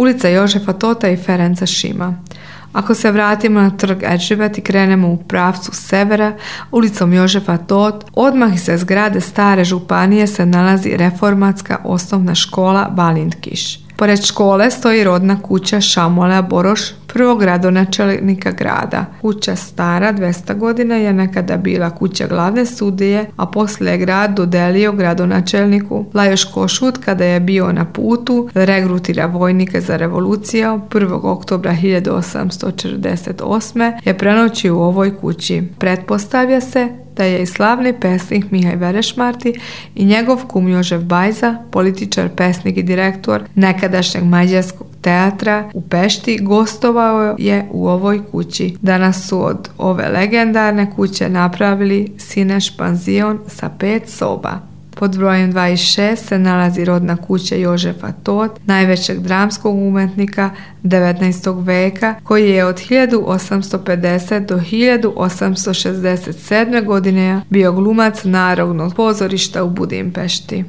ulica Jožefa Tota i Ferenca Šima. Ako se vratimo na trg Erdžibet i krenemo u pravcu severa, ulicom Jožefa Tot, odmah iza zgrade stare županije se nalazi reformatska osnovna škola Balintkiš. Pored škole stoji rodna kuća Šamolea Boroš, prvog gradonačelnika grada. Kuća stara 200 godina je nekada bila kuća glavne sudije, a poslije je grad dodelio gradonačelniku Lajoš Košut kada je bio na putu da regrutira vojnike za revoluciju. 1. oktobra 1848. je prenoćio u ovoj kući. Pretpostavlja se da je i slavni pesnik Mihaj Verešmarti i njegov kum Jožef Bajza, političar, pesnik i direktor nekadašnjeg mađarskog teatra u Pešti, gostovao je u ovoj kući. Danas su od ove legendarne kuće napravili Sineš panzion sa 5 soba. Pod brojem 26 se nalazi rodna kuća Jožefa Tot, najvećeg dramskog umetnika 19. veka, koji je od 1850 do 1867. godine bio glumac Narodnog pozorišta u Budimpešti.